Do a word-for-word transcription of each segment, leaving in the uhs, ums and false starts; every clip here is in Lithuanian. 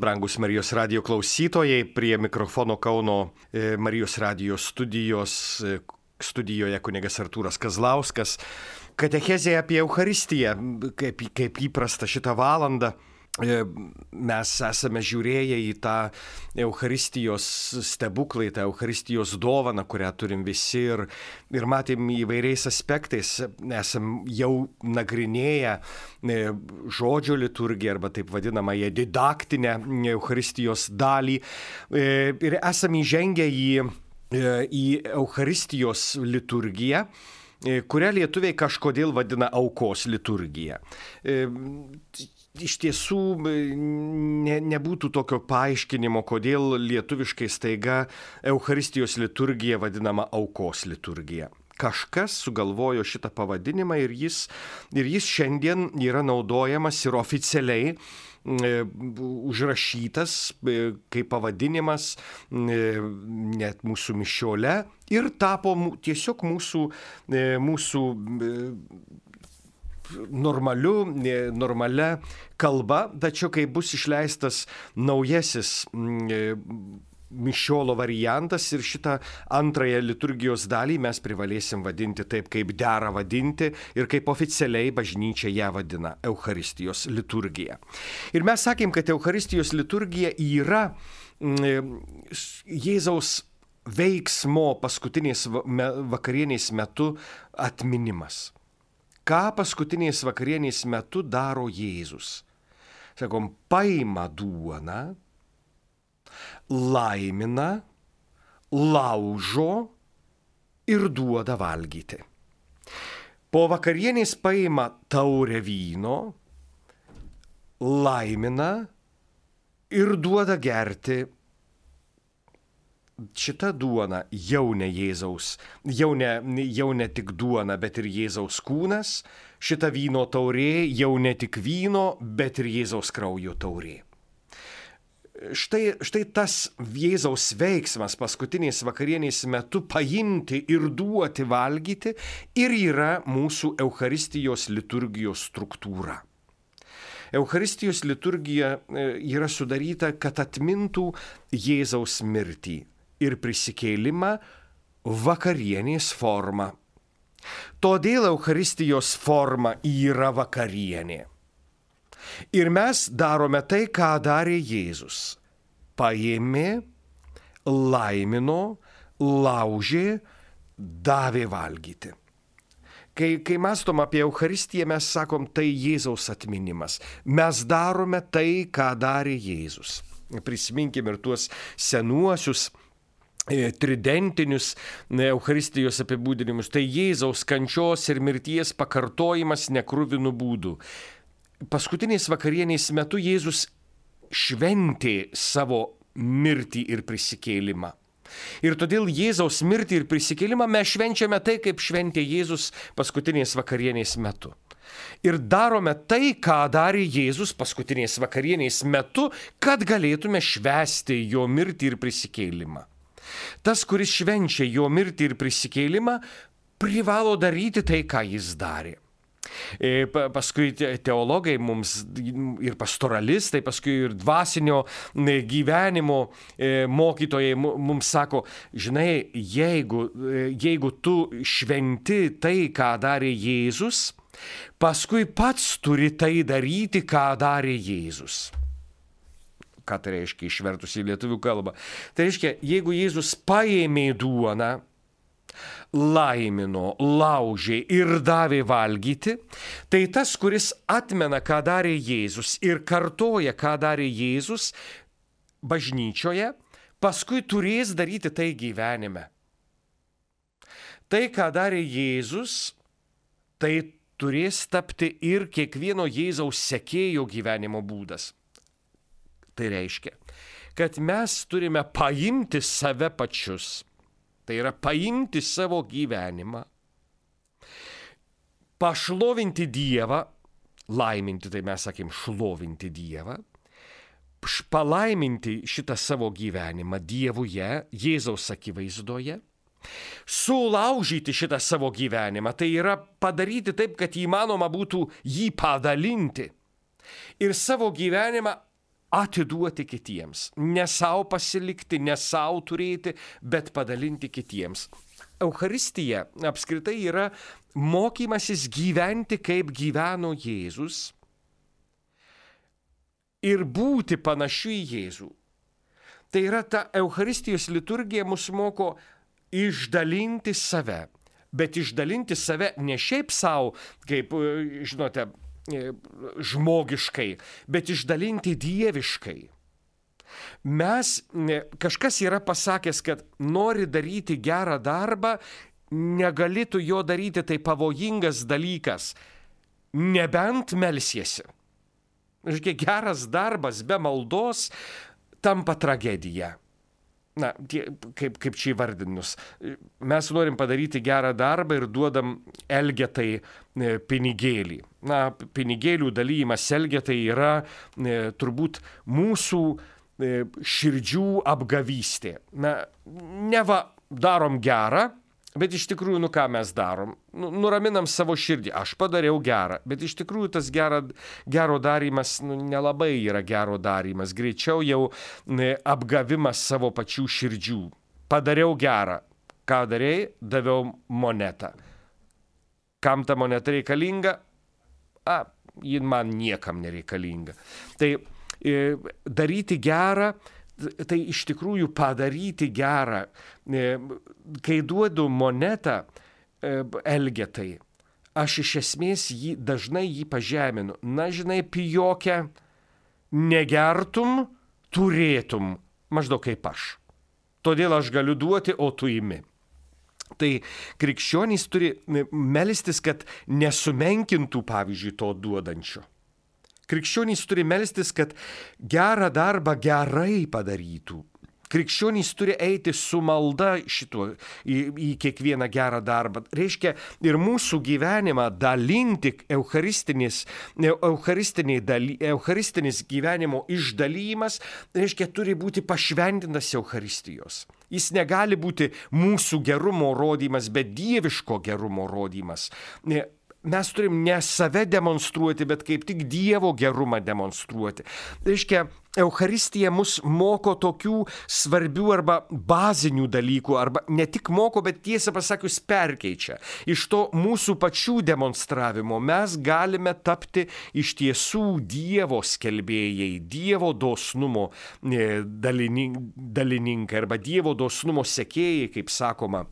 Brangus Marijos radijo klausytojai, prie mikrofono Kauno Marijos radijo studijos, studijoje kunigas Artūras Kazlauskas. Katechezė apie Eucharistiją, kaip, kaip įprasta šitą valandą. Mes esame žiūrėję į tą Eucharistijos stebuklą, į tą Eucharistijos dovaną, kurią turim visi ir, ir matėm įvairiais aspektais. Esam jau nagrinėję žodžio liturgiją arba taip vadinamąją didaktinę Eucharistijos dalį ir esam įžengę į, į Eucharistijos liturgiją, kurią lietuviai kažkodėl vadina aukos liturgija. Iš tiesų ne, nebūtų tokio paaiškinimo, kodėl lietuviškai staiga Eucharistijos liturgija vadinama aukos liturgija. Kažkas sugalvojo šitą pavadinimą ir jis, ir jis šiandien yra naudojamas ir oficialiai e, užrašytas e, kaip pavadinimas e, net mūsų mišiole ir tapo tiesiog mūsų, e, mūsų e, normaliu, normalia kalba, tačiau kai bus išleistas naujasis mišiolo variantas ir šitą antrąją liturgijos dalį mes privalėsim vadinti taip, kaip dera vadinti ir kaip oficialiai bažnyčia ją vadina – Eucharistijos liturgija. Ir mes sakėm, kad Eucharistijos liturgija yra Jėzaus veiksmo paskutinės vakarienės metu atminimas. Ką paskutinės vakarienės metu daro Jėzus? Sakom, paima duoną, laimina, laužo ir duoda valgyti. Po vakarienės paima taurę vyno, laimina ir duoda gerti. Šita duona jau ne Jėzaus, jau ne, jau ne tik duona, bet ir Jėzaus kūnas. Šita vyno taurė jau ne tik vyno, bet ir Jėzaus kraujo taurė. Štai, štai tas Jėzaus veiksmas paskutinės vakarienės metu paimti ir duoti valgyti ir yra mūsų Eucharistijos liturgijos struktūra. Eucharistijos liturgija yra sudaryta, kad atmintų Jėzaus mirtį ir prisikėlimą vakarienės forma. Todėl Eucharistijos forma yra vakarienė. Ir mes darome tai, ką darė Jėzus. Paėmė, laimino, laužė, davė valgyti. Kai, kai mąstom apie Eucharistiją, mes sakom, tai Jėzaus atminimas. Mes darome tai, ką darė Jėzus. Prisiminkim ir tuos senuosius tridentinius Eucharistijos apibūdinimus, tai Jėzaus kančios ir mirties pakartojimas nekruvinų būdų. Paskutinės vakarienės metu Jėzus šventė savo mirtį ir prisikėlimą. Ir todėl Jėzaus mirtį ir prisikėlimą mes švenčiame tai, kaip šventė Jėzus paskutinės vakarienės metu. Ir darome tai, ką darė Jėzus paskutinės vakarienės metu, kad galėtume švęsti jo mirtį ir prisikėlimą. Tas, kuris švenčia jo mirtį ir prisikėlimą, privalo daryti tai, ką jis darė. Paskui teologai mums ir pastoralistai, paskui ir dvasinio gyvenimo mokytojai mums sako, žinai, jeigu, jeigu tu šventi tai, ką darė Jėzus, paskui pats turi tai daryti, ką darė Jėzus. Ką tai reiškia išvertus į lietuvių kalbą? Tai reiškia, jeigu Jėzus paėmė duoną, laimino, laužė ir davė valgyti, tai tas, kuris atmena, ką darė Jėzus ir kartoja, ką darė Jėzus bažnyčioje, paskui turės daryti tai gyvenime. Tai, ką darė Jėzus, tai turės tapti ir kiekvieno Jėzaus sekėjo gyvenimo būdas. Tai reiškia, kad mes turime paimti save pačius, tai yra paimti savo gyvenimą, pašlovinti Dievą, laiminti, tai mes sakėm, šlovinti Dievą, palaiminti šitą savo gyvenimą Dievuje, Jėzaus akivaizdoje, sulaužyti šitą savo gyvenimą, tai yra padaryti taip, kad įmanoma būtų jį padalinti ir savo gyvenimą atiduoti kitiems. Ne savo pasilikti, ne savo turėti, bet padalinti kitiems. Eucharistija apskritai yra mokymasis gyventi, kaip gyveno Jėzus ir būti panašiu į Jėzų. Tai yra ta Eucharistijos liturgija mus moko išdalinti save, bet išdalinti save ne šiaip savo, kaip, žinote, žmogiškai, bet išdalinti dieviškai. Mes, kažkas yra pasakęs, kad nori daryti gerą darbą, negalėtų jo daryti, tai pavojingas dalykas, nebent melsiesi. Žiūrėk, geras darbas be maldos tampa tragedija. Na, tie, kaip, kaip čia įvardinus. Mes norim padaryti gerą darbą ir duodam elgetai pinigėlį. Na, pinigėlių dalymas elgetai yra e, turbūt mūsų e, širdžių apgavystė. Na, neva darom gerą, bet iš tikrųjų, nu ką mes darom? Nu, nuraminam savo širdį. Aš padariau gerą, bet iš tikrųjų tas gera, gero darymas nu, nelabai yra gero darymas. Greičiau jau ne, apgavimas savo pačių širdžių. Padariau gerą. Ką darėjai? Daviau monetą. Kam ta moneta reikalinga? A, ji man niekam nereikalinga. Tai e, daryti gerą, tai iš tikrųjų padaryti gerą. Kai duodu monetą elgetai, aš iš esmės jį, dažnai jį pažeminu. Na, žinai, pijokę, negertum, turėtum, maždaug kaip aš. Todėl aš galiu duoti, o tu imi. Tai krikščionys turi melstis, kad nesumenkintų, pavyzdžiui, to duodančio. Krikščionys turi melstis, kad gerą darbą gerai padarytų. Krikščionys turi eiti su malda šituo į, į kiekvieną gerą darbą. Reiškia, ir mūsų gyvenimą dalinti eucharistinis, daly, eucharistinis gyvenimo išdalymas, reiškia, turi būti pašventintas Eucharistijos. Jis negali būti mūsų gerumo rodymas, bet dieviško gerumo rodymas. Mes turim ne save demonstruoti, bet kaip tik Dievo gerumą demonstruoti. Reiškia, Eucharistija mus moko tokių svarbių arba bazinių dalykų, arba ne tik moko, bet tiesą pasakius perkeičia. Iš to mūsų pačių demonstravimo mes galime tapti iš tiesų Dievo skelbėjai, Dievo dosnumo dalininkai arba Dievo dosnumo sekėjai, kaip sakoma,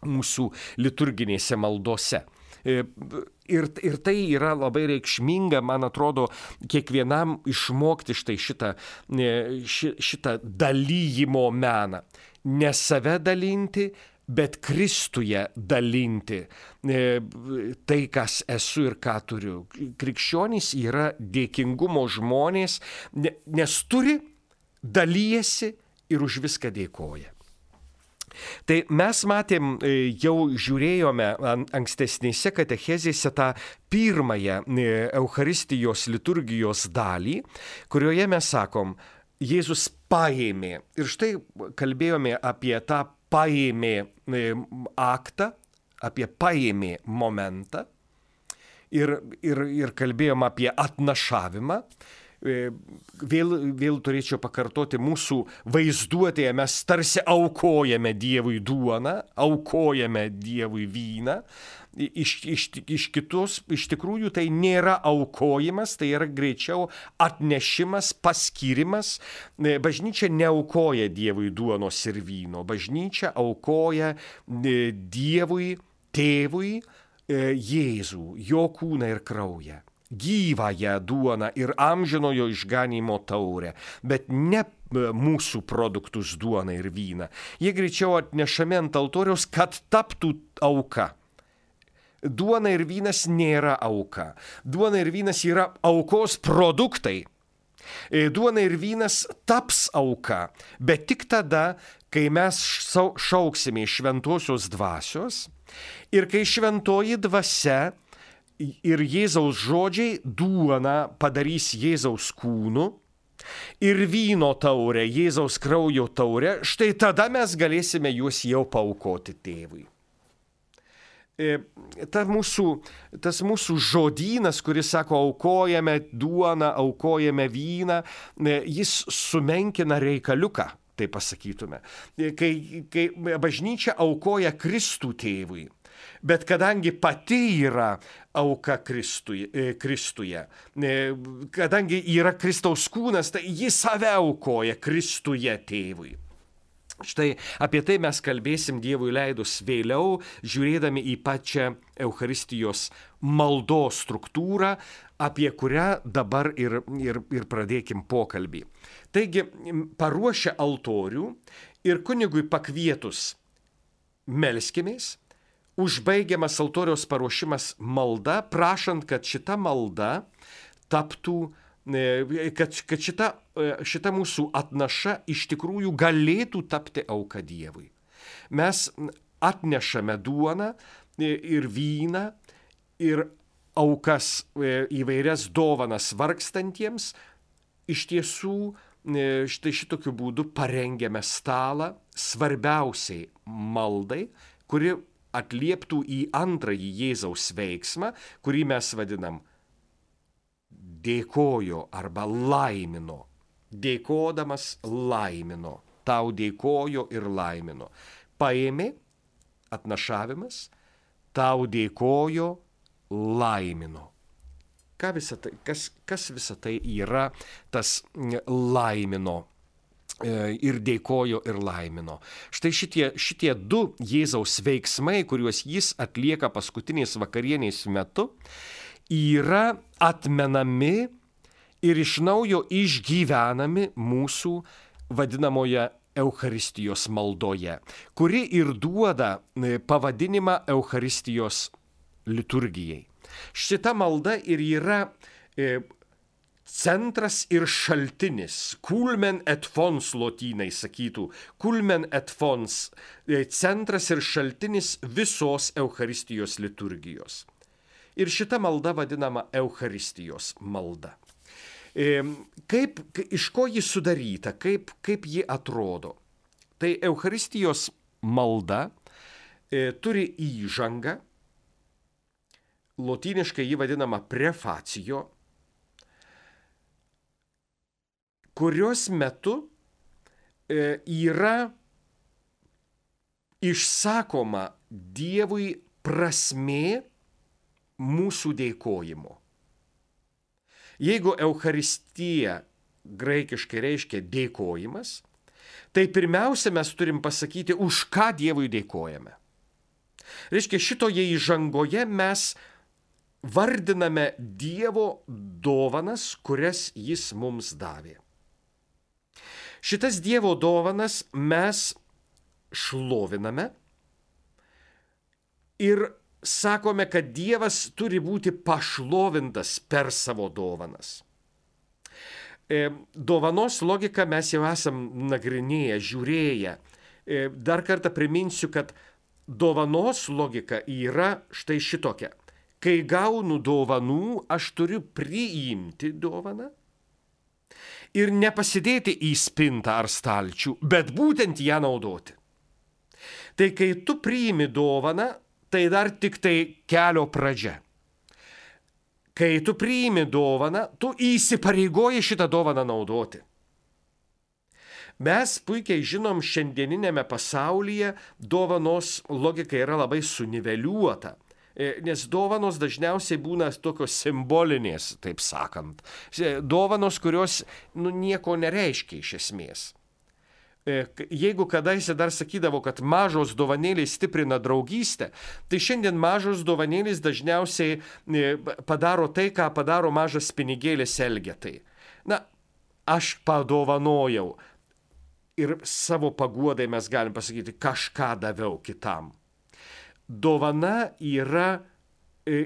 mūsų liturginėse maldose. Ir, ir tai yra labai reikšminga, man atrodo, kiekvienam išmokti štai šitą, ši, šitą dalyjimo meną. Ne save dalinti, bet Kristuje dalinti tai, kas esu ir ką turiu. Krikščionys yra dėkingumo žmonės, nes turi, dalyjasi ir už viską dėkoja. Tai mes matėm, jau žiūrėjome ankstesnėse katechezėse tą pirmąją Eucharistijos liturgijos dalį, kurioje mes sakom, Jėzus paėmė. Ir štai kalbėjome apie tą paėmė aktą, apie paėmė momentą ir, ir, ir kalbėjom apie atnašavimą. Vėl, vėl turėčiau pakartoti, mūsų vaizduotėje mes tarsi aukojame Dievui duoną, aukojame Dievui vyną. Iš, iš, iš kitos, iš tikrųjų tai nėra aukojimas, tai yra greičiau atnešimas, paskyrimas. Bažnyčia neaukoja Dievui duonos ir vyno, bažnyčia aukoja Dievui, tėvui, Jėzų, jo kūną ir kraują. Gyvąją duoną ir amžinojo išganymo taurę, bet ne mūsų produktus duoną ir vyną. Jie greičiau atnešami ant altoriaus, kad taptų auka. Duona ir vynas nėra auka. Duona ir vynas yra aukos produktai. Duona ir vynas taps auka, bet tik tada, kai mes šauksime šventosios dvasios ir kai šventoji dvasia ir Jėzaus žodžiai duoną padarys Jėzaus kūnu ir vyno taurę, Jėzaus kraujo taurę, štai tada mes galėsime juos jau paaukoti tėvui. ta mūsų, tas mūsų žodynas, kuris sako, aukojame duoną, aukojame vyną, jis sumenkina reikaliuką, tai pasakytume. Kai, kai bažnyčia aukoja Kristų tėvui, bet kadangi pati yra auka Kristuje, Kristuje, kadangi yra Kristaus kūnas, tai ji save aukoja Kristuje tėvui. Štai apie tai mes kalbėsim Dievui leidus vėliau, žiūrėdami į pačią Eucharistijos maldos struktūrą, apie kurią dabar ir, ir, ir pradėkim pokalbį. Taigi, paruošę altorių ir kunigui pakvietus melskimės, užbaigiamas altoriaus paruošimas malda, prašant, kad šita malda taptų, kad, kad šita, šita mūsų atnaša iš tikrųjų galėtų tapti auka Dievui. Mes atnešame duoną ir vyną ir aukas, įvairias dovanas vargstantiems, iš tiesų štai šitokiu būdu parengiame stalą svarbiausiai maldai, kuri atlieptų į antrąjį Jėzaus veiksmą, kurį mes vadinam dėkojo arba laimino. Dėkodamas laimino. Tau dėkojo ir laimino. Paėmė, atnašavimas, tau dėkojo, laimino. Ką visa tai, kas, kas visa tai yra tas laimino ir dėkojo ir laimino. Štai šitie, šitie du Jėzaus veiksmai, kuriuos jis atlieka paskutinės vakarienės metu, yra atmenami ir iš naujo išgyvenami mūsų vadinamoje Eucharistijos maldoje, kuri ir duoda pavadinimą Eucharistijos liturgijai. Šita malda ir yra centras ir šaltinis, culmen et fons lotynai sakytų, culmen et fons, centras ir šaltinis visos Eucharistijos liturgijos. Ir šita malda vadinama Eucharistijos malda. Kaip, iš ko ji sudaryta, kaip, kaip ji atrodo? Tai Eucharistijos malda e, turi įžangą, lotyniškai ji vadinama prefacijo, kurios metu e, yra išsakoma Dievui prasmė mūsų dėkojimo. Jeigu Eucharistija graikiškai reiškia dėkojimas, tai pirmiausia mes turim pasakyti, už ką Dievui dėkojame. Reiškia, šitoje įžangoje mes vardiname Dievo dovanas, kurias jis mums davė. Šitas Dievo dovanas mes šloviname ir sakome, kad Dievas turi būti pašlovintas per savo dovanas. E, dovanos logiką mes jau esam nagrinėję, žiūrėję. E, dar kartą priminsiu, kad dovanos logika yra štai šitokia. Kai gaunu dovanų, aš turiu priimti dovaną ir nepasidėti į spintą ar stalčių, bet būtent ją naudoti. Tai kai tu priimi dovaną, tai dar tik tai kelio pradžia. Kai tu priimi dovaną, tu įsipareigoji šitą dovaną naudoti. Mes puikiai žinom, šiandieninėme pasaulyje dovanos logika yra labai suniveliuota, nes dovanos dažniausiai būna tokios simbolinės, taip sakant. Dovanos, kurios nu, nieko nereiškia iš esmės. Jeigu kadaise dar sakydavo, kad mažos dovanėlės stiprina draugystę, tai šiandien mažos dovanėlės dažniausiai padaro tai, ką padaro mažas pinigėlis Elgetai. Na, aš padovanojau ir savo paguodai mes galim pasakyti, kažką daviau kitam. Dovana yra,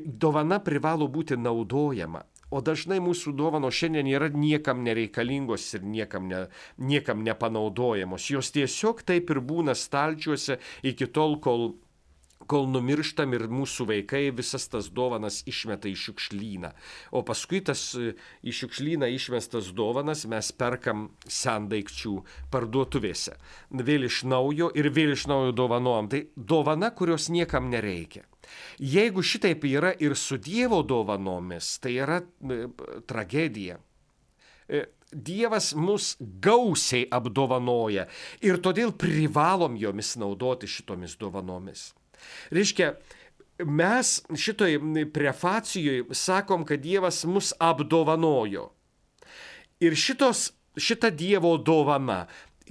dovana privalo būti naudojama. O dažnai mūsų dovanos šiandien yra niekam nereikalingos ir niekam, ne, niekam nepanaudojamos. Jos tiesiog taip ir būna stalčiuose iki tol, kol, kol numirštam ir mūsų vaikai visas tas dovanas išmeta į šiukšlyną. O paskui tas į šiukšlyną išmestas dovanas mes perkam sendaikčių parduotuvėse. Vėl iš naujo ir vėl iš naujo dovanojam. Tai dovana, kurios niekam nereikia. Jeigu šitaip yra ir su Dievo dovanomis, tai yra e, tragedija. E, Dievas mus gausiai apdovanoja ir todėl privalom jomis naudoti šitomis dovanomis. Reiškia, mes šitoj prefacijoje sakom, kad Dievas mus apdovanojo. Ir šitos, šita Dievo dovana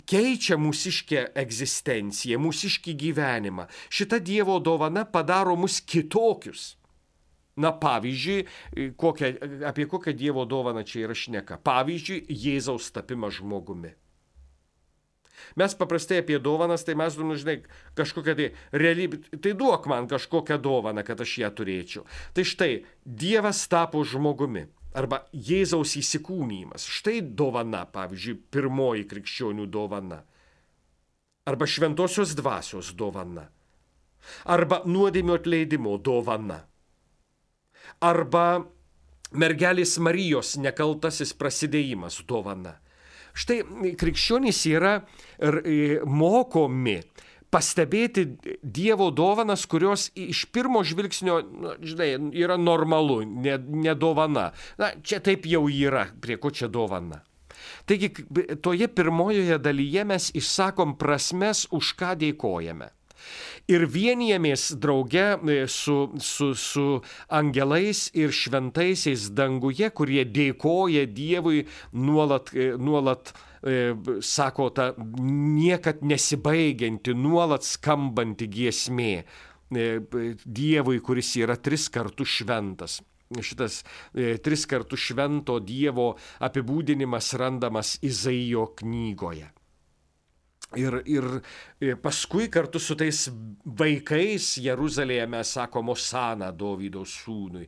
keičia mūsiškę egzistenciją, mūsiškį gyvenimą. Šita Dievo dovana padaro mus kitokius. Na, pavyzdžiui, kokią, apie kokią Dievo dovaną čia yra šneka. Pavyzdžiui, Jėzaus tapimas žmogumi. Mes paprastai apie dovanas, tai mes, nu, žinai, kažkokią tai realybę, tai duok man kažkokią dovaną, kad aš ją turėčiau. Tai štai, Dievas tapo žmogumi. Arba Jėzaus įsikūnymas. Štai dovana, pavyzdžiui, pirmoji krikščionių dovana. Arba šventosios dvasios dovana. Arba nuodėmių atleidimo dovana. Arba mergelės Marijos nekaltasis prasidėjimas dovana. Štai krikščionys yra mokomi pastebėti Dievo dovanas, kurios iš pirmo žvilgsnio, nu, žinai, yra normalu, ne, ne dovana. Na, čia taip jau yra, prie ko čia dovana. Taigi, toje pirmojoje dalyje mes išsakom prasmes, už ką dėkojame. Ir vienijamės drauge su, su, su angelais ir šventaisiais danguje, kurie dėkoja Dievui nuolat, nuolat e, sako, ta niekad nesibaigianti, nuolat skambanti giesmė e, Dievui, kuris yra tris kartus šventas. Šitas e, tris kartus švento Dievo apibūdinimas randamas Izaijo knygoje. Ir, ir paskui kartu su tais vaikais Jeruzalėje mes sakom Osana Dovydo sūnui.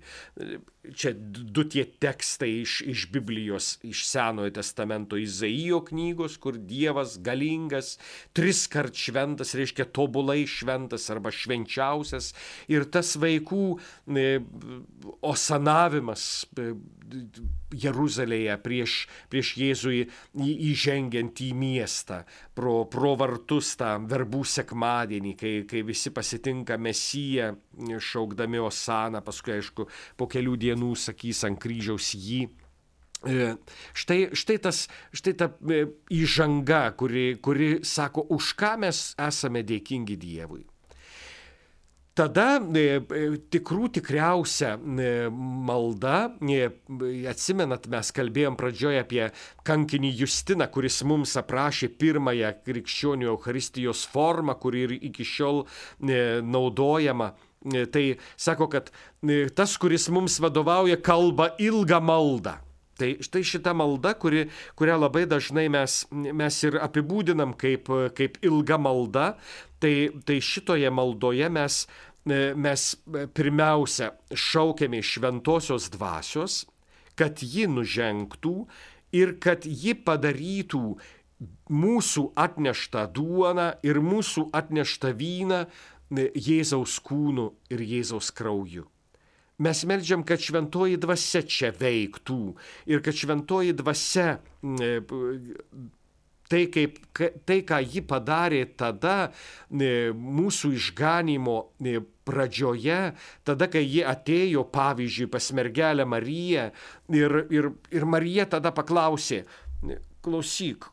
Čia du tie tekstai iš, iš Biblijos, iš Senojo testamento Izaijo knygos, kur Dievas galingas, tris kart šventas, reiškia tobulai šventas arba švenčiausias. Ir tas vaikų e, osanavimas e, Jeruzalėje prieš, prieš Jėzui įžengiant į miestą, pro, pro vartus tą verbų sekmadienį, kai, kai visi pasitinka Mesiją, šaukdami Osaną, paskui, aišku, po kelių dienų sakys ant kryžiaus jį. Štai, štai, tas, štai ta įžanga, kuri, kuri sako, už ką mes esame dėkingi Dievui. Tada e, tikrų tikriausia e, malda, e, atsimenat, mes kalbėjom pradžioje apie kankinį Justiną, kuris mums aprašė pirmąją krikščionių Eucharistijos formą, kuri ir iki šiol e, naudojama. E, tai sako, kad e, tas, kuris mums vadovauja, kalba ilgą maldą. Tai štai šita malda, kuri, kurią labai dažnai mes, mes ir apibūdinam kaip, kaip ilga malda, tai, tai šitoje maldoje mes, mes pirmiausia šaukiame šventosios dvasios, kad ji nužengtų ir kad ji padarytų mūsų atneštą duoną ir mūsų atneštą vyną Jėzaus kūnu ir Jėzaus krauju. Mes meldžiam, kad šventoji dvasia čia veiktų ir kad šventoji dvasia, tai, kaip, tai ką ji padarė tada mūsų išganymo pradžioje, tada, kai ji atėjo, pavyzdžiui, pas mergelę Mariją ir, ir, ir Marija tada paklausė, klausyk,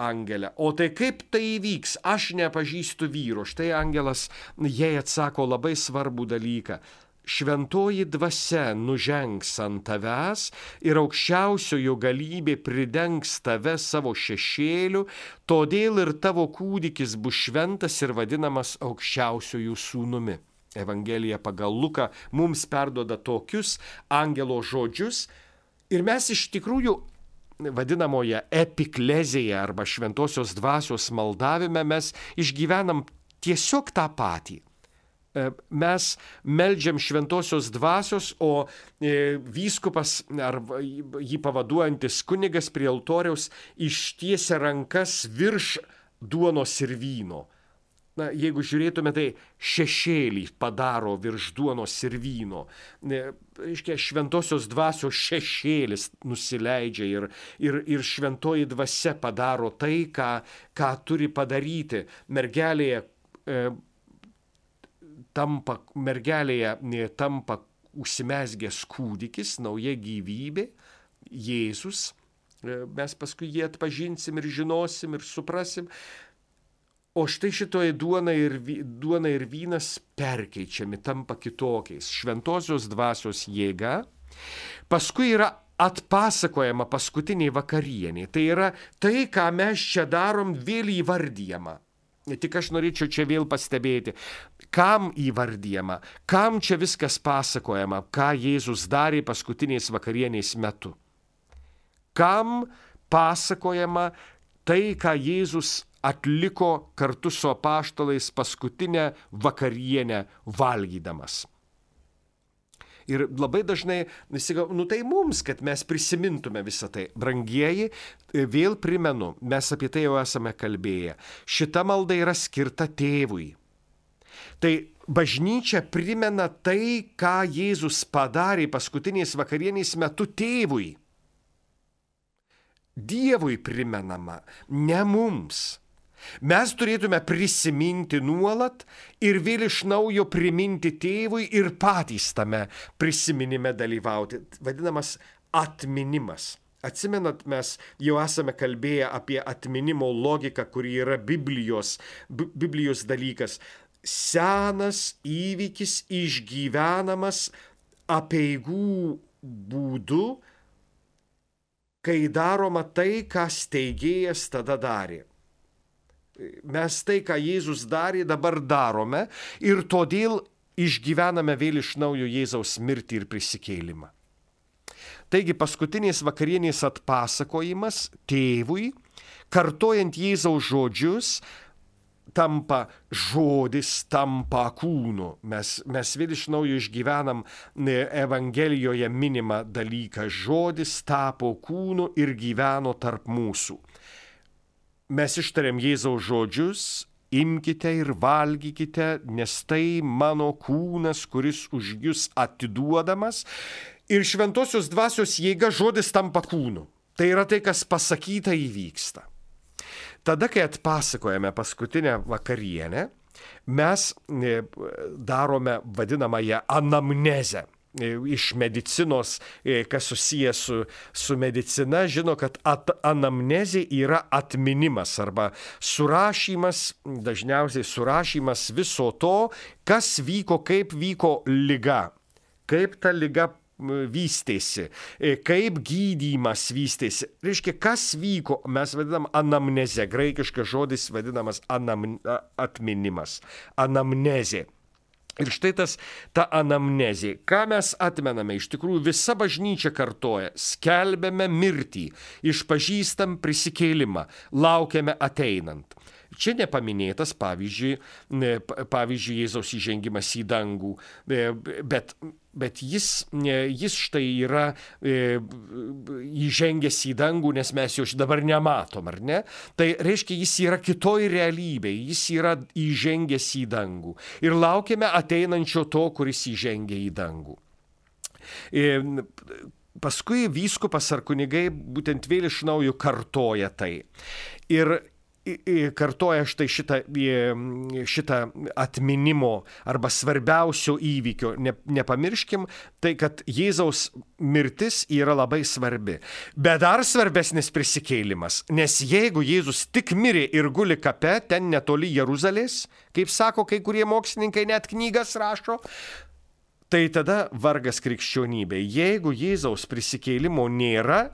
Angelė, o tai kaip tai įvyks, aš nepažįstu vyro. Štai angelas jai atsako labai svarbų dalyką. Šventoji dvasia nužengs ant tavęs ir aukščiausiojo galybė pridengs tave savo šešėliu, todėl ir tavo kūdikis bus šventas ir vadinamas aukščiausiojų sūnumi. Evangelija pagal Luką mums perduoda tokius angelo žodžius ir mes iš tikrųjų vadinamoje epiklezėje arba šventosios dvasios maldavime mes išgyvenam tiesiog tą patį. Mes meldžiam šventosios dvasios, o vyskupas ar jį pavaduojantis kunigas prie altoriaus ištiesia rankas virš duonos ir vyno. na, jeigu žiūrėtume, tai šešėlį padaro virš duonos ir vyno. Reiškia, šventosios dvasios šešėlis nusileidžia ir, ir, ir šventoji dvasia padaro tai, ką, ką turi padaryti. Mergelėje, e, tampa, mergelėje e, tampa užsimezgęs kūdikis, nauja gyvybė, Jėzus. E, mes paskui jį atpažinsim ir žinosim ir suprasim. O štai šitoje duona ir, duona ir vynas perkeičiami, tampa kitokiais. Šventosios dvasios jėga. Paskui yra atpasakojama paskutiniai vakarieniai. Tai yra tai, ką mes čia darom, vėl įvardyjama. Tik aš norėčiau čia vėl pastebėti, kam įvardyjama, kam čia viskas pasakojama, ką Jėzus darė paskutiniais vakarieniais metu. Kam pasakojama tai, ką Jėzus atliko kartu su apaštalais paskutinę vakarienę valgydamas. Ir labai dažnai, nu tai mums, kad mes prisimintume visą tai. Brangieji, vėl primenu, mes apie tai jau esame kalbėję. Šita malda yra skirta tėvui. Tai bažnyčia primena tai, ką Jėzus padarė paskutiniais vakarieniais metu tėvui. Dievui primenama, ne mums. Mes turėtume prisiminti nuolat ir vėl iš naujo priminti tėvui ir patys tame prisiminime dalyvauti. Vadinamas atminimas. Atsimenat, mes jau esame kalbėję apie atminimo logiką, kuri yra Biblijos, Biblijos dalykas. Senas įvykis išgyvenamas apeigų būdu, kai daroma tai, ką steigėjas tada darė. Mes tai, ką Jėzus darė, dabar darome ir todėl išgyvename vėl iš naujo Jėzaus mirtį ir prisikėlimą. Taigi paskutiniais vakarienės atpasakojimas tėvui, kartojant Jėzaus žodžius, tampa žodis, tampa kūnu. Mes, mes vėl iš naujo išgyvenam Evangelijoje minimą dalyką. Žodis tapo kūnu ir gyveno tarp mūsų. Mes ištariam Jėzaus žodžius, imkite ir valgykite, nes tai mano kūnas, kuris už jūs atiduodamas. Ir šventosios dvasios jėga žodis tampa kūnu. Tai yra tai, kas pasakyta įvyksta. Tada, kai atpasakojame paskutinę vakarienę, mes darome vadinamąją anamnezę. Iš medicinos, kas susijęs su, su medicina, žino, kad at, anamnezė yra atminimas arba surašymas, dažniausiai surašymas viso to, kas vyko, kaip vyko liga, kaip ta liga vystėsi, kaip gydymas vystėsi. Reiškia, kas vyko, mes vadinam anamnezę, graikiškas žodis vadinamas anam, atminimas, anamnezė. Ir štai tas, ta anamnezė, ką mes atmename, iš tikrųjų visa bažnyčia kartoja, skelbiame mirtį, išpažįstam prisikėlimą, laukiame ateinant. Čia nepaminėtas, pavyzdžiui, pavyzdžiui, Jėzaus įžengimas į dangų, bet, bet jis, jis štai yra įžengęs į dangų, nes mes jo dabar nematom, ar ne? Tai reiškia, jis yra kitoj realybėje, jis yra įžengęs į dangų. Ir laukiame ateinančio to, kuris įžengia į dangų. Paskui vyskupas ar kunigai būtent vėl iš naujo kartoja tai. Ir kartoja štai šitą, šitą atminimo arba svarbiausio įvykio. Ne, nepamirškim, tai kad Jėzaus mirtis yra labai svarbi. Bet dar svarbesnis prisikėlimas, nes jeigu Jėzus tik mirė ir guli kape, ten netoli Jeruzalės, kaip sako kai kurie mokslininkai, net knygas rašo, tai tada vargas krikščionybė. Jeigu Jėzaus prisikėlimo nėra,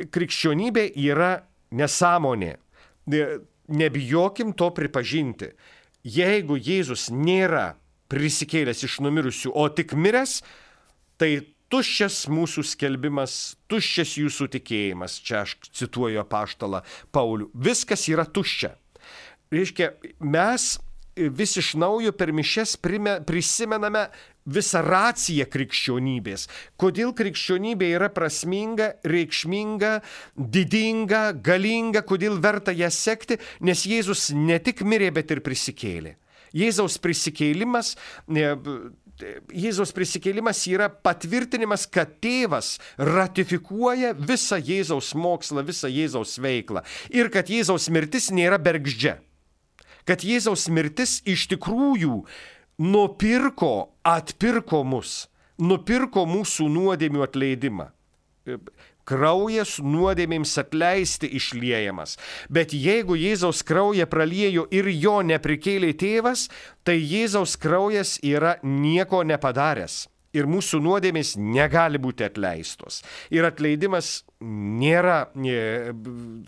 krikščionybė yra nesąmonė. Nebijokim to pripažinti. Jeigu Jėzus nėra prisikėlęs iš numirusių, o tik miręs, tai tuščias mūsų skelbimas, tuščias jūsų tikėjimas. Čia aš cituoju apaštalą Paulių. Viskas yra tuščia. Reiškia, mes vis iš naujo per mišias prisimename visą raciją krikščionybės. Kodėl krikščionybė yra prasminga, reikšminga, didinga, galinga, kodėl verta ją sekti, nes Jėzus ne tik mirė, bet ir prisikėlė. Jėzaus prisikėlimas, Jėzaus prisikėlimas yra patvirtinimas, kad tėvas ratifikuoja visą Jėzaus mokslą, visą Jėzaus veiklą ir kad Jėzaus mirtis nėra bergždžia. Kad Jėzaus mirtis iš tikrųjų nupirko, atpirko mus, nupirko mūsų nuodėmių atleidimą. Kraujas nuodėmėms atleisti išliejamas. Bet jeigu Jėzaus kraują praliejo ir jo neprikėlė tėvas, tai Jėzaus kraujas yra nieko nepadaręs. Ir mūsų nuodėmės negali būti atleistos. Ir atleidimas nėra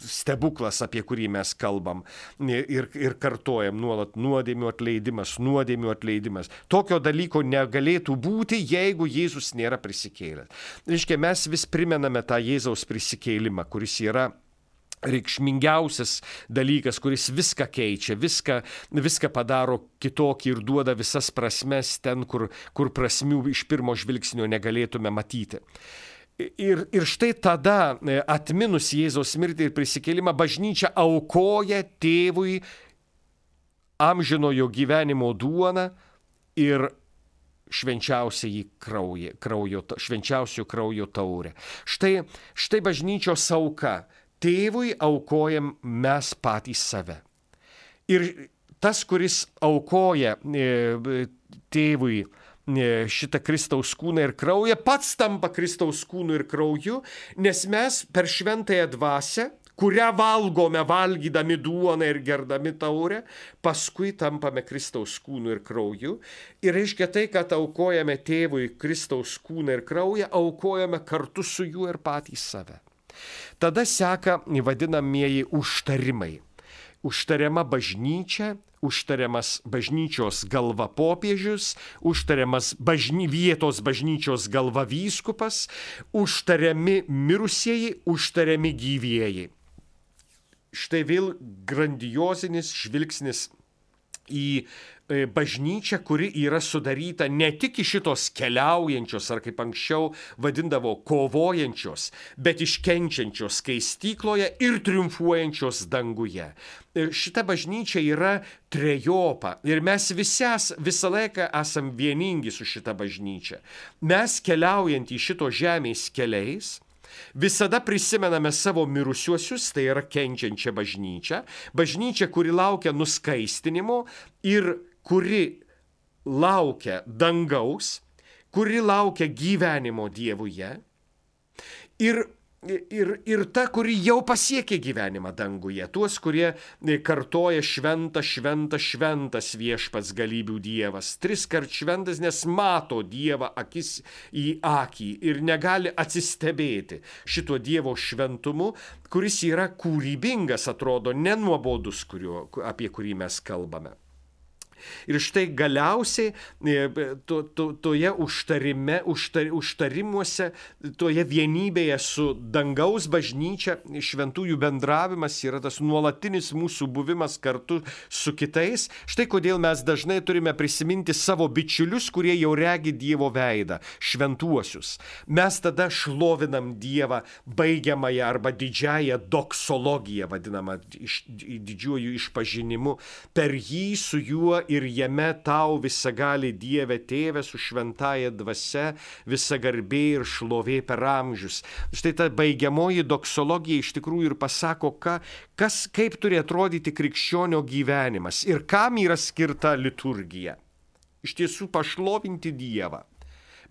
stebuklas, apie kurį mes kalbam ir, ir kartojam nuolat nuodėmių atleidimas, nuodėmių atleidimas. Tokio dalyko negalėtų būti, jeigu Jėzus nėra prisikėlęs. Reiškia, mes vis primename tą Jėzaus prisikėlimą, kuris yra reikšmingiausias dalykas, kuris viską keičia, viską, viską padaro kitokį ir duoda visas prasmes ten, kur, kur prasmių iš pirmo žvilgsnio negalėtume matyti. Ir, ir štai tada, atminus Jėzaus mirtį ir prisikėlimą, bažnyčia aukoja tėvui amžinojo gyvenimo duoną ir švenčiausiai kraujo, kraujo, švenčiausio kraujo taurę. Štai, štai bažnyčios auka. Tėvui aukojam mes patys save. Ir tas, kuris aukoja tėvui šitą Kristaus kūną ir kraują, pats tampa Kristaus kūnu ir krauju, nes mes per šventąją dvasią, kurią valgome valgydami duoną ir gerdami taurę, paskui tampame Kristaus kūnu ir krauju. Ir reiškia tai, kad aukojame tėvui Kristaus kūną ir kraują, aukojame kartu su juo ir patys save. Tada seka vadinamieji užtarimai. Užtariama bažnyčia, užtariamas bažnyčios galva popiežius, užtariamas bažny, vietos bažnyčios galva vyskupas, užtariami mirusieji, užtariami gyvieji. Štai vėl grandiozinis žvilgsnis į bažnyčią, kuri yra sudaryta ne tik iš šitos keliaujančios, ar kaip anksčiau vadindavo, kovojančios, bet iškenčiančios skaistykloje ir triumfuojančios danguje. Šita bažnyčia yra trejopa ir mes visi visą laiką esam vieningi su šita bažnyčia. Mes keliaujant į šito žemės keliais, visada prisimename savo mirusiuosius, tai yra kenčiančią bažnyčią, bažnyčią, kuri laukia nuskaistinimo ir kuri laukia dangaus, kuri laukia gyvenimo Dievuje ir, ir, ir ta, kuri jau pasiekė gyvenimą danguje, tuos, kurie kartoja šventą, šventą, šventas viešpats galybių Dievas, tris kart šventas, nes mato Dievą akis į akį ir negali atsistebėti šito Dievo šventumu, kuris yra kūrybingas, atrodo, nenuobodus, kurio, apie kurį mes kalbame. Ir štai galiausiai to, to, toje užtarime, užtar, užtarimuose, toje vienybėje su dangaus bažnyčia, šventųjų bendravimas yra tas nuolatinis mūsų buvimas kartu su kitais. Štai kodėl mes dažnai turime prisiminti savo bičiulius, kurie jau regi Dievo veidą, šventuosius. Mes tada šlovinam Dievą baigiamąją arba didžiąją doksologiją, vadinamą iš, didžiuoju išpažinimu. Per jį su juo ir jame tau visagali Dieve Tėve su šventąja dvasia, visa garbė ir šlovė per amžius. Štai ta baigiamoji doksologija iš tikrųjų ir pasako, ką, kas, kaip turi atrodyti krikščionio gyvenimas ir kam yra skirta liturgija. Iš tiesų pašlovinti Dievą.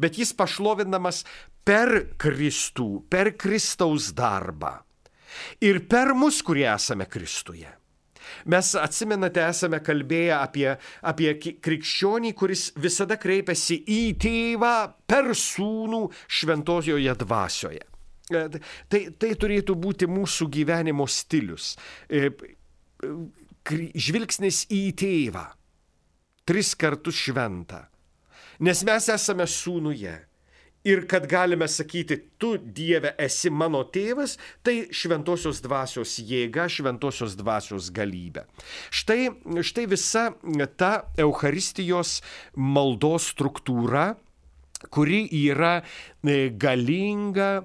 Bet jis pašlovinamas per Kristų, per Kristaus darbą ir per mus, kurie esame Kristuje. Mes, atsimenate, esame kalbėję apie, apie krikščionį, kuris visada kreipiasi į tėvą per sūnų šventojoje dvasioje. Tai, tai turėtų būti mūsų gyvenimo stilius. Žvilgsnis į tėvą, tris kartus šventą. Nes mes esame sūnuje. ir kad galime sakyti, tu Dieve esi mano tėvas, tai šventosios dvasios jėga, šventosios dvasios galybė. Štai, štai visa ta Eucharistijos maldos struktūra, kuri yra galinga,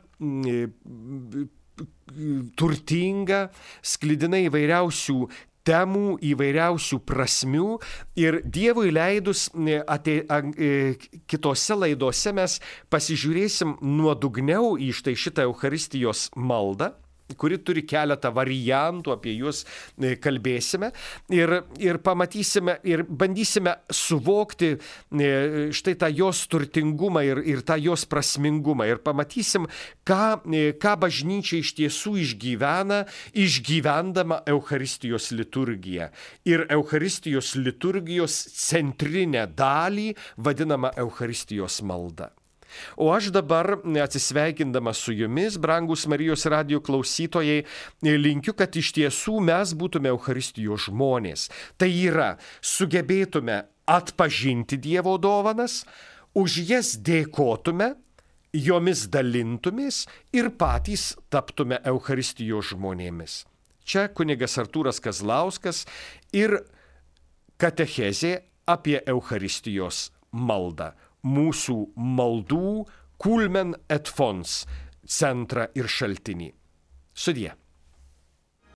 turtinga, sklidina įvairiausių temų, įvairiausių prasmių ir Dievui leidus atė, a, kitose laidose mes pasižiūrėsim nuodugniau į štai šitą Eucharistijos maldą, kuri turi keletą variantų, apie juos kalbėsime ir, ir pamatysime ir bandysime suvokti štai tą jos turtingumą ir, ir tą jos prasmingumą ir pamatysim, ką, ką bažnyčia iš tiesų išgyvena, išgyvendama Eucharistijos liturgiją ir Eucharistijos liturgijos centrinę dalį vadinamą Eucharistijos malda. O aš dabar, atsisveikindamas su jumis, brangus Marijos radijo klausytojai, linkiu, kad iš tiesų mes būtume Eucharistijos žmonės. Tai yra, sugebėtume atpažinti Dievo dovanas, už jas dėkotume, jomis dalintumės ir patys taptume Eucharistijos žmonėmis. Čia kunigas Artūras Kazlauskas ir katechezė apie Eucharistijos maldą. Mūsų maldų Kulmen et Fons centrą ir šaltinį. Sudie.